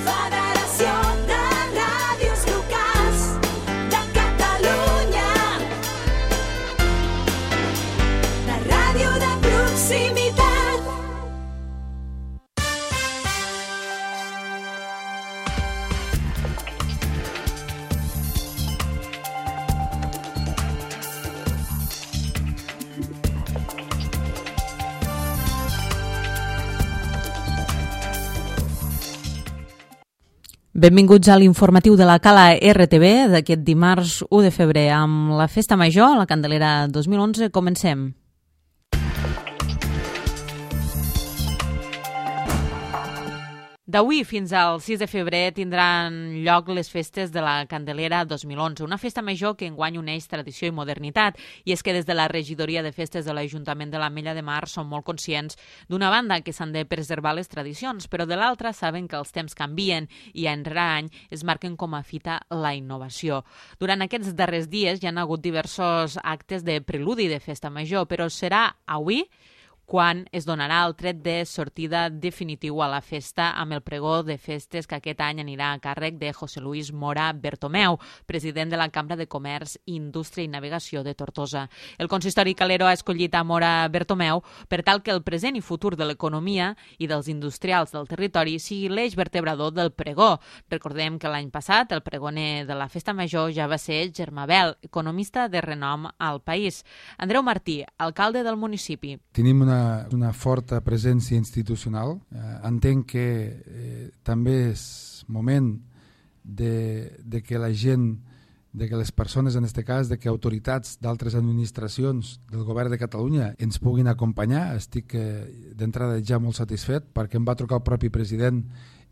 Federació de Ràdios Locals de Catalunya. La ràdio de proximitat. Benvinguts a l'informatiu de la Cala RTV d'aquest dimarts 1 de febrer. Amb la Festa Major, la Candelera 2011, comencem. D'avui fins al 6 de febrer tindran lloc les festes de la Candelera 2011, una festa major que enguany uneix tradició i modernitat. I és que des de la regidoria de festes de l'Ajuntament de l'Ametlla de Mar són molt conscients d'una banda que s'han de preservar les tradicions, però de l'altra saben que els temps canvien i any rere any es marquen com a fita la innovació. Durant aquests darrers dies hi ha hagut diversos actes de preludi de festa major, però serà avui quan es donarà el tret de sortida definitiu a la festa amb el pregó de festes que aquest any anirà a càrrec de José Luis Mora Bertomeu, president de la Cambra de Comerç, Indústria i Navegació de Tortosa. El consistori calero ha escollit a Mora Bertomeu per tal que el present i futur de l'economia i dels industrials del territori sigui l'eix vertebrador del pregó. Recordem que l'any passat el pregoner de la Festa Major ja va ser Germà Bel, economista de renom al país. Andreu Martí, alcalde del municipi. Tenim una forta presència institucional. Entenc que també és moment de que la gent, de que les persones, en aquest cas, de que autoritats d'altres administracions del govern de Catalunya ens puguin acompanyar. Estic d'entrada ja molt satisfet perquè em va trucar el propi president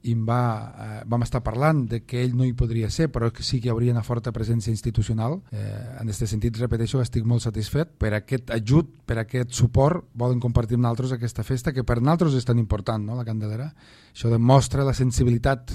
i vam estar parlant de que ell no hi podria ser, però que sí que hi hauria una forta presència institucional. En aquest sentit, repeteixo, estic molt satisfet per aquest ajut, per aquest suport. Volen compartir amb nosaltres aquesta festa, que per nosaltres és tan important, no?, la Candelera. Això demostra la sensibilitat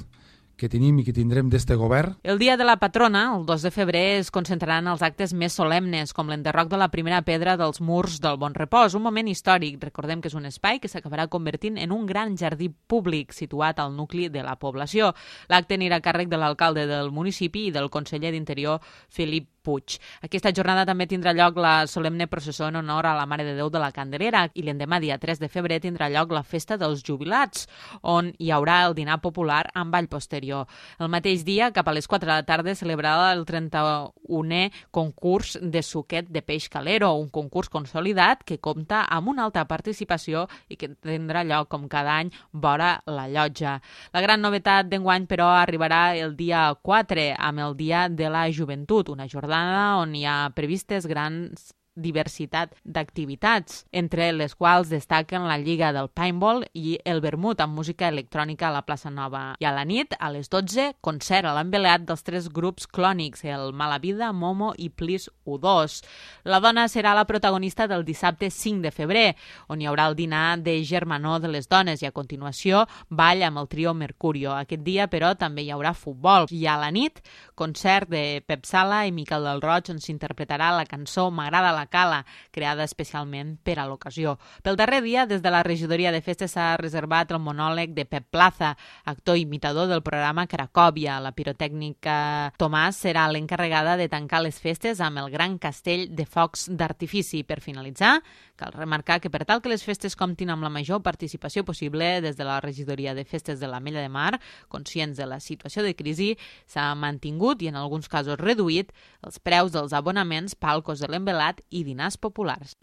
que tenim i que tindrem d'este govern. El dia de la patrona, el 2 de febrer, es concentraran els actes més solemnes, com l'enderroc de la primera pedra dels murs del Bon Repòs, un moment històric. Recordem que és un espai que s'acabarà convertint en un gran jardí públic situat al nucli de la població. L'acte anirà a càrrec de l'alcalde del municipi i del conseller d'Interior, Felip Puig. Aquesta jornada també tindrà lloc la solemne processó en honor a la Mare de Déu de la Candelera i l'endemà, dia 3 de febrer, tindrà lloc la Festa dels Jubilats, on hi haurà el dinar popular amb ball posterior. El mateix dia, cap a les 4 de la tarda, celebrarà el 31è concurs de suquet de peix calero, un concurs consolidat que compta amb una alta participació i que tindrà lloc, com cada any, vora la llotja. La gran novetat d'enguany, però, arribarà el dia 4, amb el Dia de la Joventut, una jornada on hi ha previstes grans diversitat d'activitats, entre les quals destaquen la Lliga del Paintball i el vermut amb música electrònica a la plaça Nova. I a la nit, a les 12, concert a l'envelat dels 3 grups clònics, el Mala Vida, Momo i Plis U2. La dona serà la protagonista del dissabte 5 de febrer, on hi haurà el dinar de germanor de les dones i a continuació ball amb el trio Mercurio. Aquest dia, però, també hi haurà futbol. I a la nit, concert de Pep Sala i Miquel del Roig, on s'interpretarà la cançó M'agrada la Cala, creada especialment per a l'ocasió. Pel darrer dia, des de la regidoria de festes s'ha reservat el monòleg de Pep Plaza, actor imitador del programa Cracòvia. La pirotècnica Tomàs serà l'encarregada de tancar les festes amb el gran castell de focs d'artifici. Per finalitzar, cal remarcar que per tal que les festes comptin amb la major participació possible, des de la regidoria de festes de l'Ametlla de Mar, conscients de la situació de crisi, s'ha mantingut i en alguns casos reduït els preus dels abonaments, palcos de l'envelat i dinars populars.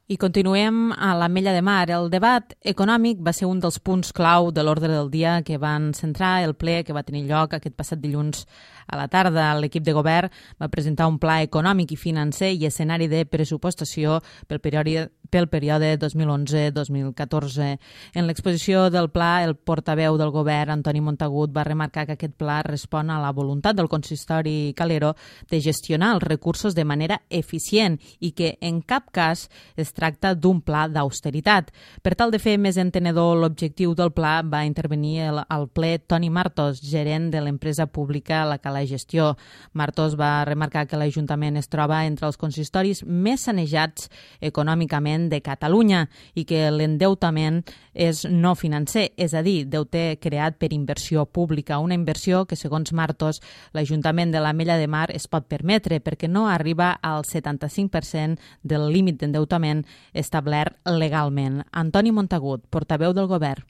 I continuem a l'Ametlla de Mar. El debat econòmic va ser un dels punts clau de l'ordre del dia que van centrar el ple que va tenir lloc aquest passat dilluns a la tarda. L'equip de govern va presentar un pla econòmic i financer i escenari de pressupostació pel període 2011-2014. En l'exposició del pla, el portaveu del govern, Antoni Montagut, va remarcar que aquest pla respon a la voluntat del consistori calero de gestionar els recursos de manera eficient i que en cap cas es tracta d'un pla d'austeritat. Per tal de fer més entenedor l'objectiu del pla, va intervenir al ple Toni Martos, gerent de l'empresa pública La Cala Gestió. Martos va remarcar que l'Ajuntament es troba entre els consistoris més sanejats econòmicament l'Ajuntament de Catalunya i que l'endeutament és no financer, és a dir, deute creat per inversió pública, una inversió que, segons Martos, l'Ajuntament de l'Ametlla de Mar es pot permetre perquè no arriba al 75% del límit d'endeutament establert legalment. Antoni Montagut, portaveu del Govern.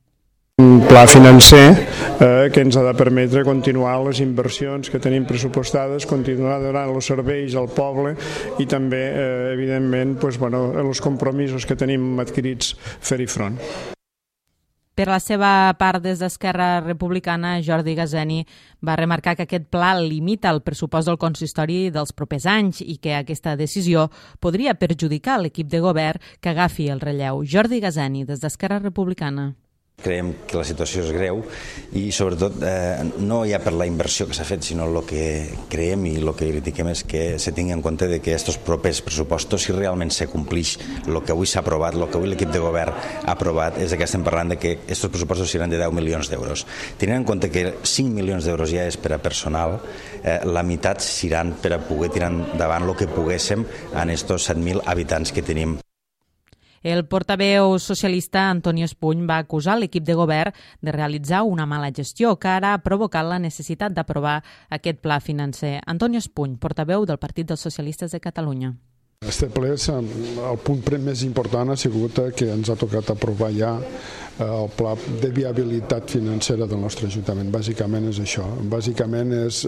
Un pla financer que ens ha de permetre continuar les inversions que tenim pressupostades, continuar donant els serveis al poble i també, evidentment, els compromisos que tenim adquirits fer-hi front. Per la seva part, des d'Esquerra Republicana, Jordi Gazeni va remarcar que aquest pla limita el pressupost del consistori dels propers anys i que aquesta decisió podria perjudicar l'equip de govern que agafi el relleu. Jordi Gazeni, des d'Esquerra Republicana. Creiem que la situació és greu i sobretot no ja per la inversió que s'ha fet, sinó el que creiem i el que critiquem és que se tingui en compte de que aquests propers pressupostos, si realment se complix el que avui s'ha aprovat, el que avui l'equip de govern ha aprovat, és que estem parlant de que aquests pressupostos seran de 10 milions d'euros. Tenint en compte que 5 milions d'euros ja és per a personal, la meitat seran per a poder tirar endavant el que poguéssim en aquests 7.000 habitants que tenim. El portaveu socialista Antonio Espuny va acusar l'equip de govern de realitzar una mala gestió que ara ha provocat la necessitat d'aprovar aquest pla financer. Antonio Espuny, portaveu del Partit dels Socialistes de Catalunya. Este ple, el punt més important ha sigut que ens ha tocat aprovar ja el pla de viabilitat financera del nostre Ajuntament. Bàsicament és això. Bàsicament és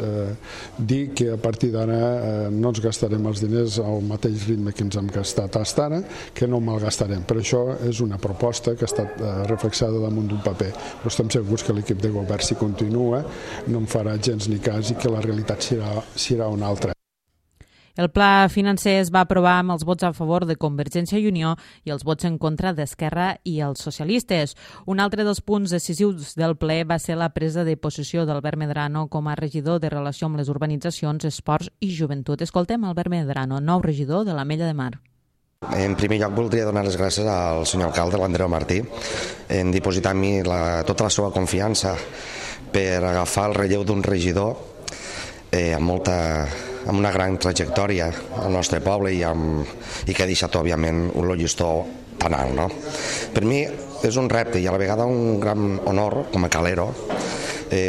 dir que a partir d'ara no ens gastarem els diners al mateix ritme que ens hem gastat fins ara, que no malgastarem. Per això és una proposta que ha estat reflexada damunt d'un paper. Però estem segurs que l'equip de govern, si continua, no en farà gens ni cas i que la realitat serà una altra. El pla financer es va aprovar amb els vots a favor de Convergència i Unió i els vots en contra d'Esquerra i els socialistes. Un altre dels punts decisius del ple va ser la presa de possessió d'Albert Medrano com a regidor de Relació amb les Urbanitzacions, Esports i Joventut. Escoltem Albert Medrano, nou regidor de l'Ametlla de Mar. En primer lloc voldria donar les gràcies al senyor alcalde, l'Andreu Martí, en dipositar en mi tota la seva confiança per agafar el relleu d'un regidor amb una gran trajectòria al nostre poble i que ha deixat, òbviament, un llistó tan alt. No? Per mi és un repte i a la vegada un gran honor, com a calero,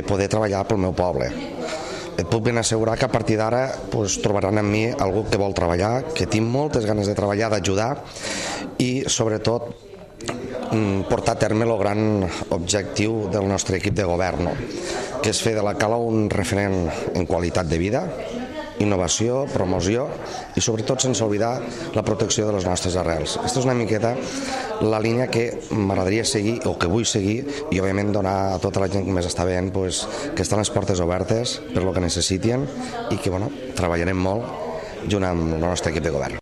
poder treballar pel meu poble. Et puc ben assegurar que a partir d'ara trobaran en mi algú que vol treballar, que tinc moltes ganes de treballar, d'ajudar i, sobretot, portar a terme el gran objectiu del nostre equip de govern, que és fer de la Cala un referent en qualitat de vida, innovació, promoció i sobretot sense oblidar la protecció de les nostres arrels. Aquesta és una miqueta la línia que m'agradaria seguir o que vull seguir i òbviament donar a tota la gent que més està veient que estan les portes obertes per lo que necessiten i que treballarem molt junt amb el nostre equip de govern.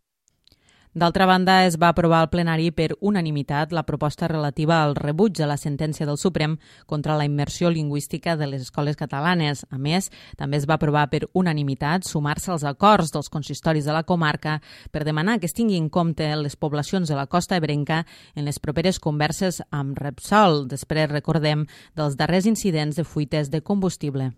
D'altra banda, es va aprovar al plenari per unanimitat la proposta relativa al rebuig a la sentència del Suprem contra la immersió lingüística de les escoles catalanes. A més, també es va aprovar per unanimitat sumar-se als acords dels consistoris de la comarca per demanar que es tingui en compte les poblacions de la costa ebrenca en les properes converses amb Repsol. Després recordem dels darrers incidents de fuites de combustible.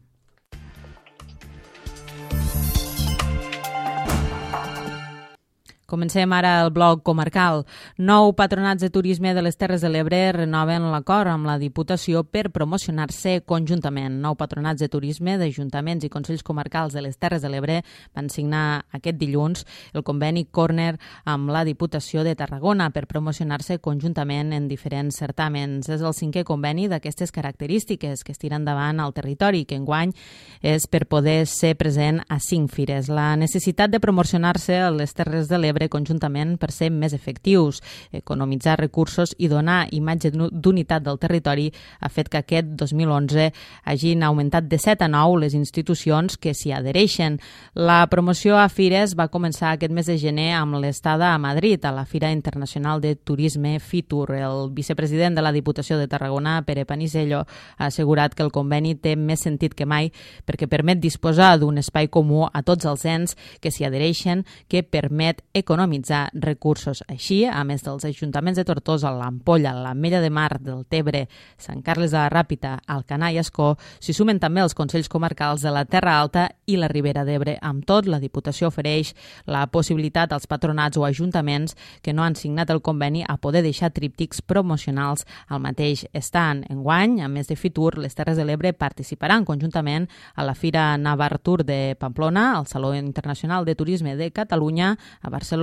Comencem ara el bloc comarcal. 9 patronats de turisme de les Terres de l'Ebre renoven l'acord amb la Diputació per promocionar-se conjuntament. 9 patronats de turisme d'ajuntaments i consells comarcals de les Terres de l'Ebre van signar aquest dilluns el conveni Corner amb la Diputació de Tarragona per promocionar-se conjuntament en diferents certàmens. És el 5è conveni d'aquestes característiques que es tira endavant al territori, que enguany és per poder ser present a 5 fires. La necessitat de promocionar-se a les Terres de l'Ebre conjuntament per ser més efectius, economitzar recursos i donar imatge d'unitat del territori ha fet que aquest 2011 hagin augmentat de 7 a 9 les institucions que s'hi adhereixen. La promoció a fires va començar aquest mes de gener amb l'estada a Madrid, a la Fira Internacional de Turisme FITUR. El vicepresident de la Diputació de Tarragona, Pere Panisello, ha assegurat que el conveni té més sentit que mai perquè permet disposar d'un espai comú a tots els ens que s'hi adhereixen, que permet economitzar economitzar recursos. Així, a més dels ajuntaments de Tortosa, l'Ampolla, l'Ametlla de Mar, del Tebre, Sant Carles de la Ràpita, Alcanar i Ascó, s'hi sumen també els Consells Comarcals de la Terra Alta i la Ribera d'Ebre. Amb tot, la Diputació ofereix la possibilitat als patronats o ajuntaments que no han signat el conveni a poder deixar tríptics promocionals al mateix estant. Enguany, a més de Fitur, les Terres de l'Ebre participaran conjuntament a la Fira Navartur de Pamplona, al Saló Internacional de Turisme de Catalunya, a Barcelona,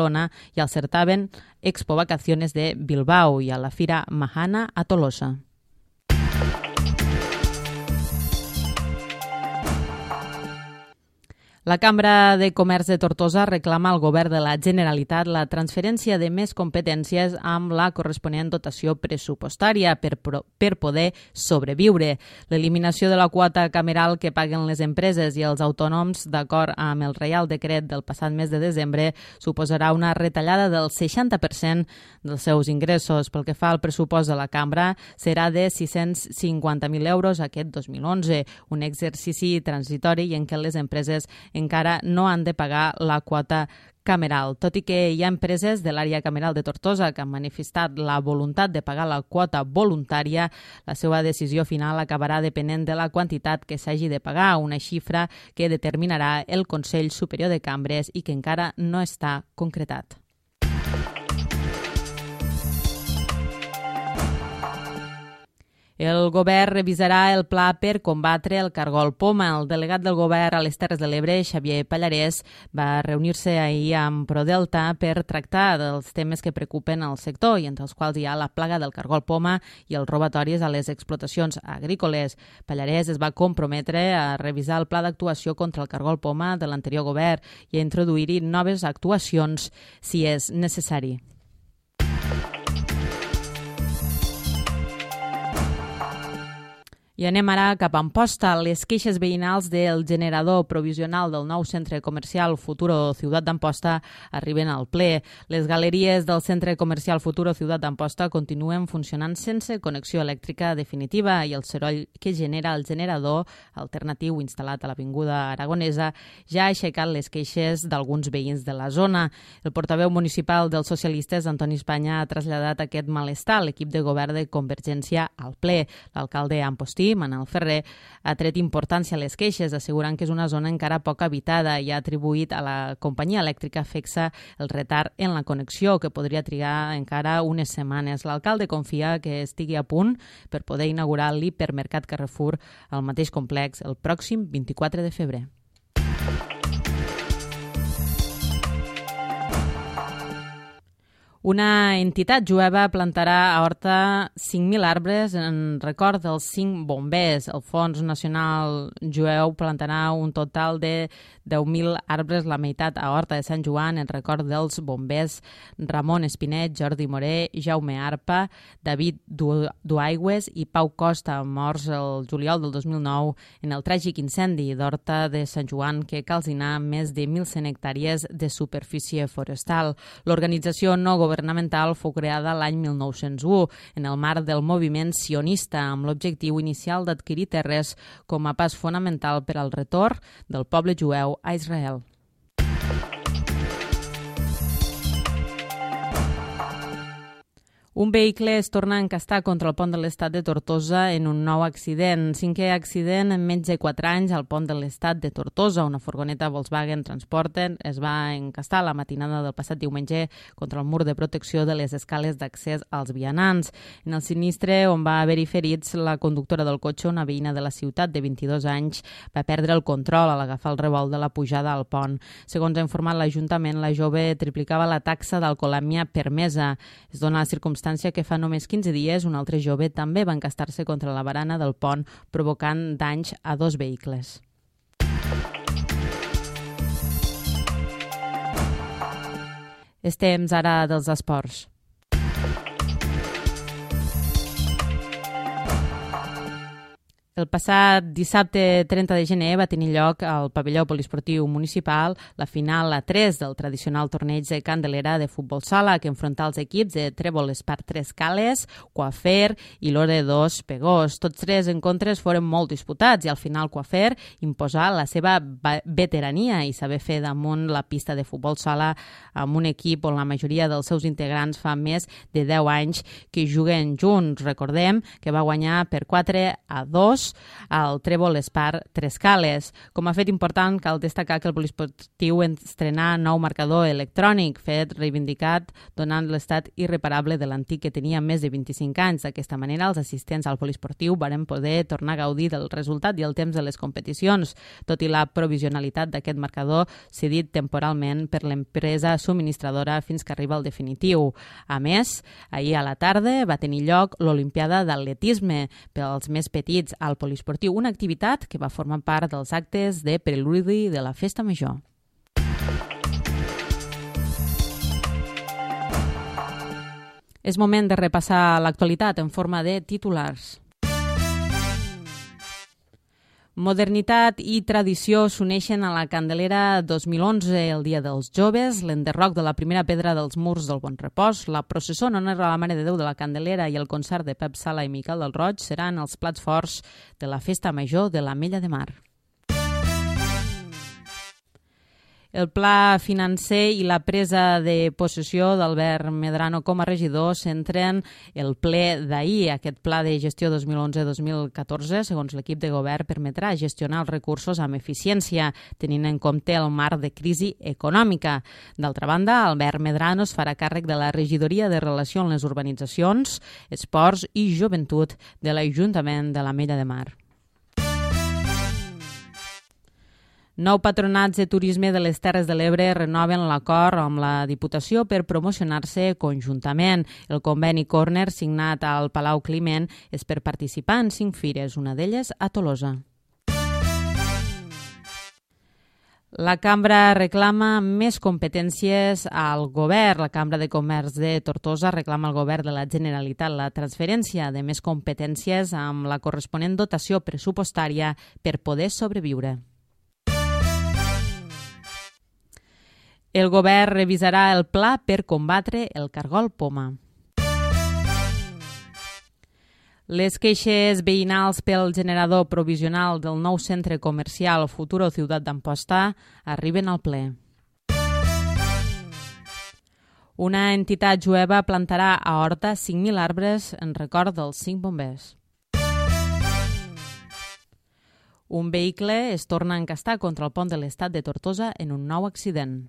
i al certamen Expo Vacaciones de Bilbao i a la Fira Mahana a Tolosa. La Cambra de Comerç de Tortosa reclama al Govern de la Generalitat la transferència de més competències amb la corresponent dotació pressupostària per poder sobreviure. L'eliminació de la quota cameral que paguen les empreses i els autònoms, d'acord amb el Reial Decret del passat mes de desembre, suposarà una retallada del 60% dels seus ingressos. Pel que fa al pressupost de la Cambra, serà de 650.000 euros aquest 2011, un exercici transitori en què les empreses encara no han de pagar la quota cameral. Tot i que hi ha empreses de l'àrea cameral de Tortosa que han manifestat la voluntat de pagar la quota voluntària, la seva decisió final acabarà depenent de la quantitat que s'hagi de pagar, una xifra que determinarà el Consell Superior de Cambres i que encara no està concretat. El govern revisarà el pla per combatre el cargol poma. El delegat del govern a les Terres de l'Ebre, Xavier Pallarès, va reunir-se ahir amb Prodelta per tractar dels temes que preocupen al sector i entre els quals hi ha la plaga del cargol poma i els robatoris a les explotacions agrícoles. Pallarès es va comprometre a revisar el pla d'actuació contra el cargol poma de l'anterior govern i a introduir-hi noves actuacions si és necessari. I anem ara cap a Amposta. Les queixes veïnals del generador provisional del nou centre comercial Futuro Ciutat d'Amposta arriben al ple. Les galeries del centre comercial Futuro Ciutat d'Amposta continuen funcionant sense connexió elèctrica definitiva i el soroll que genera el generador alternatiu instal·lat a l'Avinguda Aragonesa ja ha aixecat les queixes d'alguns veïns de la zona. El portaveu municipal dels socialistes, Antoni Espanya, ha traslladat aquest malestar a l'equip de govern de Convergència al ple. L'alcalde Ampostí, Manel Ferrer, ha tret importància a les queixes, assegurant que és una zona encara poc habitada i ha atribuït a la companyia elèctrica FECSA el retard en la connexió, que podria trigar encara unes setmanes. L'alcalde confia que estigui a punt per poder inaugurar l'hipermercat Carrefour al mateix complex el pròxim 24 de febrer. Una entitat jueva plantarà a Horta 5.000 arbres en record dels 5 bombers. El Fons Nacional Jueu plantarà un total de 10.000 arbres, la meitat a Horta de Sant Joan, en record dels bombers Ramon Espinet, Jordi Moré, Jaume Arpa, David Duaigües i Pau Costa, morts el juliol del 2009 en el tràgic incendi d'Horta de Sant Joan que calcinà més de 1.100 hectàrees de superfície forestal. L'organització no governamental fou creada l'any 1901 en el marc del moviment sionista amb l'objectiu inicial d'adquirir terres com a pas fonamental per al retorn del poble jueu a Israel. Un vehicle es torna a encastar contra el pont de l'Estat de Tortosa en un nou accident. 5è accident en menys de 4 anys al pont de l'Estat de Tortosa. Una furgoneta Volkswagen Transporter es va encastar la matinada del passat diumenge contra el mur de protecció de les escales d'accés als vianants. En el sinistre, on va haver-hi ferits, la conductora del cotxe, una veïna de la ciutat de 22 anys, va perdre el control a l'agafar el revolt de la pujada al pont. Segons ha informat l'Ajuntament, la jove triplicava la taxa d'alcoholèmia permesa. Es dona la circumstància que fa només 15 dies un altre jove també va encastar-se contra la barana del pont, provocant danys a 2 vehicles. És temps ara dels esports. El passat dissabte 30 de gener va tenir lloc al pavelló poliesportiu municipal la final a 3 del tradicional torneig de Candelera de futbol sala que enfronta els equips de Trèvol Espart Tres Cales, Coafer i Lore 2 Pegós. Tots tres encontres foren molt disputats i al final Coafer imposà la seva veterania i saber fer damunt la pista de futbol sala amb un equip on la majoria dels seus integrants fa més de 10 anys que juguen junts. Recordem que va guanyar per 4-2 al Trèvol Espart Tres Cales. Com a fet important, cal destacar que el poliesportiu estrenà nou marcador electrònic, fet reivindicat donant l'estat irreparable de l'antic que tenia més de 25 anys. D'aquesta manera, els assistents al poliesportiu varen poder tornar a gaudir del resultat i el temps de les competicions, tot i la provisionalitat d'aquest marcador cedit temporalment per l'empresa subministradora fins que arriba el definitiu. A més, ahir a la tarda va tenir lloc l'Olimpiada d'Atletisme pels més petits al poliesportiu, una activitat que va formar part dels actes de preludi de la Festa Major. És moment de repassar l'actualitat en forma de titulars. Modernitat i tradició s'uneixen a la Candelera 2011, el Dia dels Joves, l'enderroc de la primera pedra dels murs del Bon Repòs, la processó en honor a la Mare de Déu de la Candelera i el concert de Pep Sala i Miquel del Roig seran els plats forts de la Festa Major de l'Ametlla de Mar. El pla financer i la presa de possessió d'Albert Medrano com a regidor centren el ple d'ahir. Aquest pla de gestió 2011-2014, segons l'equip de govern, permetrà gestionar els recursos amb eficiència, tenint en compte el marc de crisi econòmica. D'altra banda, Albert Medrano es farà càrrec de la regidoria de relació amb les urbanitzacions, esports i joventut de l'Ajuntament de l'Ametlla de Mar. Nou patronats de turisme de les Terres de l'Ebre renoven l'acord amb la Diputació per promocionar-se conjuntament. El conveni Corner signat al Palau Climent és per participar en 5 fires, una d'elles a Tolosa. La Cambra reclama més competències al govern. La Cambra de Comerç de Tortosa reclama al govern de la Generalitat la transferència de més competències amb la corresponent dotació pressupostària per poder sobreviure. El govern revisarà el pla per combatre el cargol poma. Les queixes veïnals pel generador provisional del nou centre comercial Futuro Ciutat d'Amposta arriben al ple. Una entitat jueva plantarà a Horta 5.000 arbres en record dels 5 bombers. Un vehicle es torna a encastar contra el pont de l'Estat de Tortosa en un nou accident.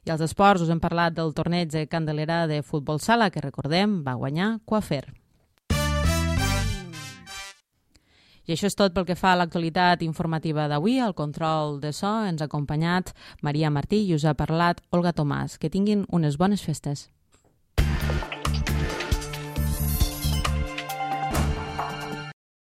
I als esports us hem parlat del torneig de Candelera de futbol sala, que recordem va guanyar Coafer. I això és tot pel que fa a l'actualitat informativa d'avui. Al control de so ens ha acompanyat Maria Martí i us ha parlat Olga Tomàs. Que tinguin unes bones festes.